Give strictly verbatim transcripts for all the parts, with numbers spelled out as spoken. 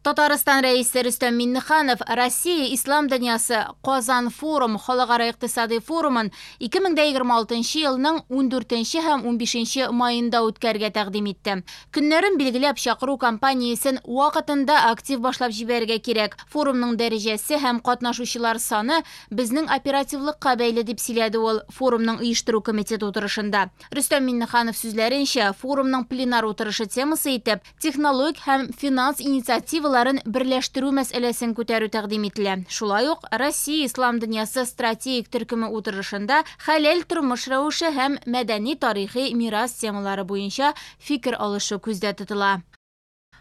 Татарстан Рәисе Рөстәм Миңнеханов Россия Ислам дөньясы Казан форум халыкара икътисади форумын ике мең егерме алтынчы елның ундүртенче һәм унбишенче майында үткәрергә тәкъдим итте. Көннәрен билгеләп чакыру кампаниясен вакытында актив башлап җибәрергә кирәк. Форумның дәрәҗәсе һәм катнашучылар саны безнең оперативлыкка бәйле, дип сөйләде ул форумның оештыру комитеты утырышында. Рөстәм Миңнеханов сүзләренчә, форумның пленар утырышы темасы итеп технологик һәм финанс инициативаларын берләштерү мәсьәләсен күтәрү тәкъдим ителә. Шулай ук Россия Ислам дөньясы стратегик төркеме утырышында хәләл тормыш рәвеше һәм мәдәни тарихи мирас темалары буенча фикер алышу күздә тотыла.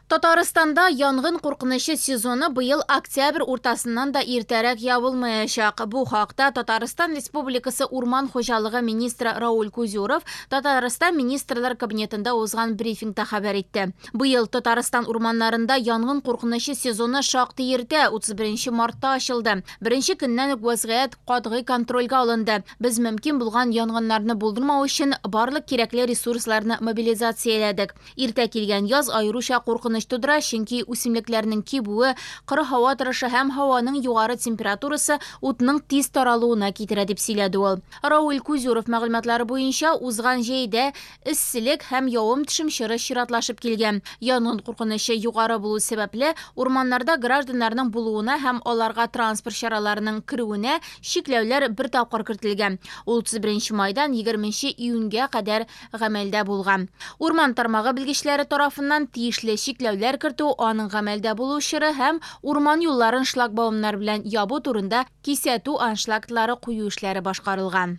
Татарстанда янгын куркынычы сезоны быел октябрь уртасыннан да иртәрәк ябылмаячак. Бу хакта Татарстан Республикасы Урман хуҗалыгы министры Рауль Кузюров Татарстан Министрлар Кабинетында узган брифингта хәбәр итте. Быел Татарстан урманнарында янгын куркынычы сезоны шактый иртә, утыз беренче мартта ачылды. Беренче көннән үк вазгыять катгый контрольгә алынды. Без мөмкин булган янгыннарны булдырмау өчен барлык кирәкле ресурсларны мобилизацияләдек. Иртә килгән яз аеруча куркыныч тудыра, чөнки үсемлекләрнең кибүе, коры һава торышы һәм һаваның югары температурасы утның тиз таралуына китерә, дип сөйләде ул. Рауль Кузюров мәгълүматлары буенча, узган җәйдә эсселек һәм явым-төшем чоры чиратлашып килгән. Янгын куркынычы югары булу сәбәпле, урманнарда гражданнарның булуына һәм аларга транспорт чараларының керүенә чикләүләр бер тапкыр кертелгән. Ул утыз беренче майдан егерменче июньгә кадәр гамәлдә булган. Урман тармагы белгечләре тарафыннан тиешле чикләүләр кертү, аның гамәлдә булу чоры һәм урман юлларын шлагбаумнар белән ябу турында кисәтү аншлаглары кую эшләре башкарылган.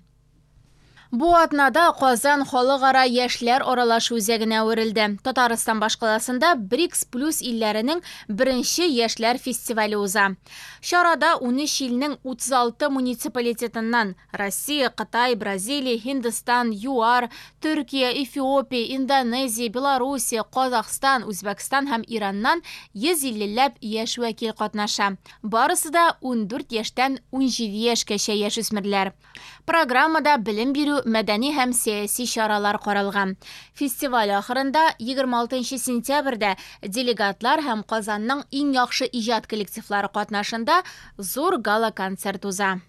Бу атнада Казан халыкара яшьләр аралашу үзәгенә әверелде. Татарстан башкаласында БРИКС плюс илләренең беренче яшьләр фестивале уза. Чарада унөч илнең утыз алты муниципалитетыннан Россия, Кытай, Бразилия, Һиндстан, ЮАР, Төркия, Эфиопия, Индонезия, Белоруссия, Казахстан, Үзбәкстан һәм Ираннан йөз иллеләп яшь вәкил катнаша. Барысы да ундүрт яшьтән унҗиде яшькәчә яшүсмерләр. Программада белем бирү, мәдәни һәм сәяси чаралар каралган. Фестиваль ахырында егерме алтынчы сентябрьдә делегатлар һәм Казанның иң яхшы иҗат коллективлары катнашында зур гала-концерт уза.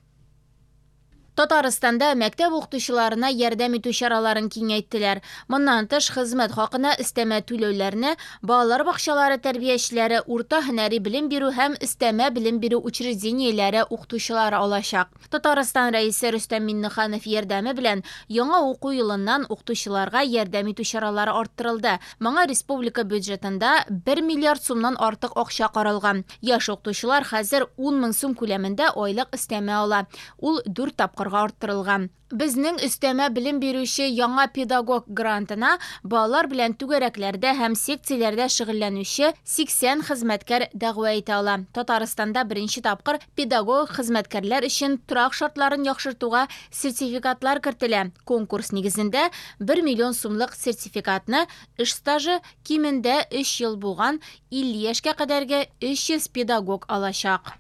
Татарстанда мәктәп укытучыларына ярдәм итү чараларын киңәйттеләр. Моннан тыш, хезмәт хакына өстәмә түләүләрне балалар бакчалары тәрбиячеләре, урта һөнәри белем бирү һәм өстәмә белем бирү учреждениеләре укытучылары алачак. Татарстан Рәисе Рөстәм Миңнеханов ярдәме белән яңа уку елыннан укытучыларга ярдәм итү чаралары арттырылды. Моңа республика бюджетында бер миллиард сумнан артык акча каралган. Яшь укытучылар хәзер ун мең сум күләмендә айлык өстәмә ала. Ул дүрт тапкыр арттырылган. Безнең өстәмә белем бирүче яңа педагог грантына балалар белән түгәрәкләрдә һәм секцияләрдә шөгыльләнүче сиксән хезмәткәр дәгъва итә ала. Татарстанда беренче тапкыр педагог хезмәткәрләр өчен торак шартларын яхшыртуга сертификатлар кертелә. Конкурс нигезендә бер миллион сумлык сертификатны эш стажы кимендә өч ел булган илле яшькә кадәрге өч йөз педагог алачак.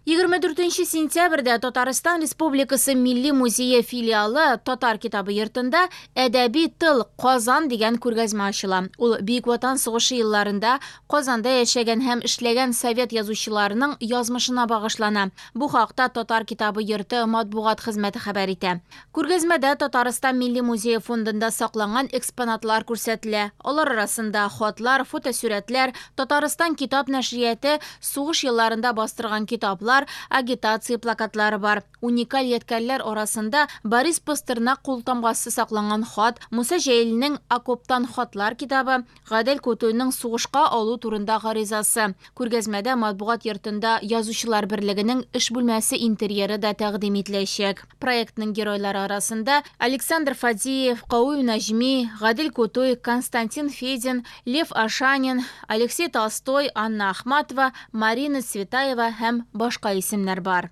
Егерме дүртенче сентябрьдә Татарстан Республикасы Милли музее филиалы Татар китабы йортында Әдәби тыл Казан дигән күргәзмә ачыла. Ул Бөек Ватан сугышы елларында Казанда яшәгән һәм эшләгән совет язучыларының язмышына багышлана. Бу хакта Татар китабы йорты матбугат хезмәте хәбәр итә. Күргәзмәдә Татарстан Милли музее фондында сакланган экспонатлар күрсәтелә. Алар арасында хатлар, фотосурәтләр, Татарстан китап нәшрияты сугыш елларында бастырган китаплар, агитация плакатлары бар. Уникаль ядкәрләр арасында Борис Пастернак култамгасы сакланган хат, Муса Җәлилнең Окоптан хатлар китабы, Гадел Кутуйның сугышка алу турында гаризасы. Күргәзмәдә матбугат йортында Язучылар берлегенең эш бүлмәсе интерьеры да тәкъдим ителәчәк. Проектның геройлары арасында Александр Фадеев, Кауи Наҗми, Гадел Кутуй, Константин Федин, Лев Ашанин, Алексей Толстой, Анна Ахматова, Марина Цветаева һәм башка исемнәр бар.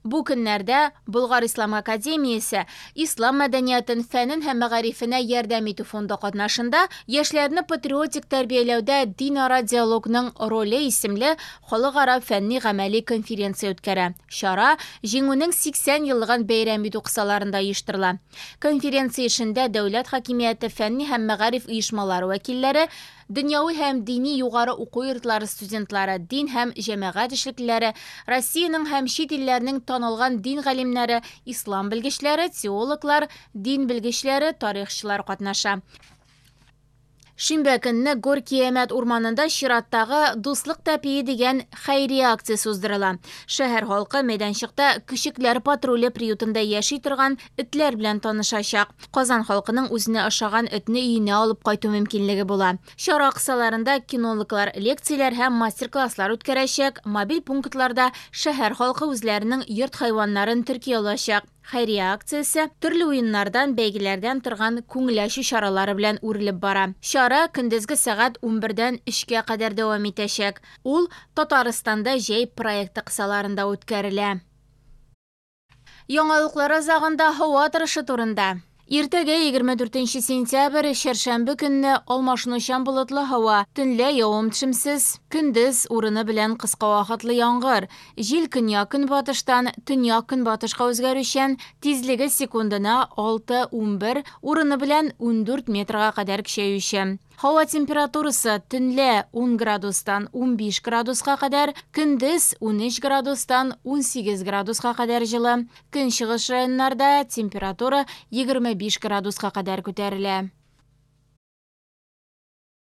Бу көннәрдә Болгар Ислам академиясе Ислам мәдәниятен, фәнен һәм мәгарифенә ярдәм итү фонды катнашында яшьләрне патриотик тәрбияләүдә динара диалогның роле исемле халыкара фәнни гамәли конференция үткәрә. Чара Җиңүнең сиксән еллыгын бәйрәм итү кысаларында оештырыла. Конференция эшендә дәүләт хакимияте, фәнни һәм мәгариф оешмалары вәкилләре, Дөньяви һәм дини югары уку йортлары студентлары, дин һәм җәмәгать эшлеклеләре, Россиянең һәм чит илләрнең танылган дин галимнәре, ислам белгечләре, теологлар, дин белгечләре, тарихчылар катнаша. Шимбә көнне Горки-Әмәт урманында чираттагы «Дуслык тәпие» дигән хәйрия акциясе уздырыла. Шәһәр халкы мәйданчыкта Көчекләр патруле приютында яши торган этләр белән танышачак. Казан халкының үзенә ошаган этне өенә алып кайту мөмкинлеге була. Чара кысаларында кинологлар лекцияләр һәм мастер-класслар үткәрәчәк. Мобиль пунктларда шәһәр халкы үзләренең йорт хайваннарын терки алачак. Хәйрия акциясе төрле уеннардан, бәйгеләрдән торган күңел ачу чаралары белән үрелеп бара. Чара көндезге сәгать унбердән өчкә кадәр дәвам итәчәк. Ул Татарстанда җәй проекты кысаларында үткәрелә. Яңалыклар азагында һава торышы турында. Иртәгә егерме дүртенче сентябрь, чәршәмбе көнне алмашынучан болытлы һава, төнлә явым-төшемсез, көндез урыны белән кыска вакытлы яңгыр. Җил көньяк-көнбатыштан төньяк-көнбатышка үзгәрүчән, тизлеге секундына алты унбер, урыны белән ундүрт метрга кадәр көчәюче. Һава температурасы төнлә ун градустан унбиш градуска кадәр, көндез унөч градустан унсигез градуска кадәр җылы. Көнчыгыш районнарда температура егерме биш градуска кадәр күтәрелә.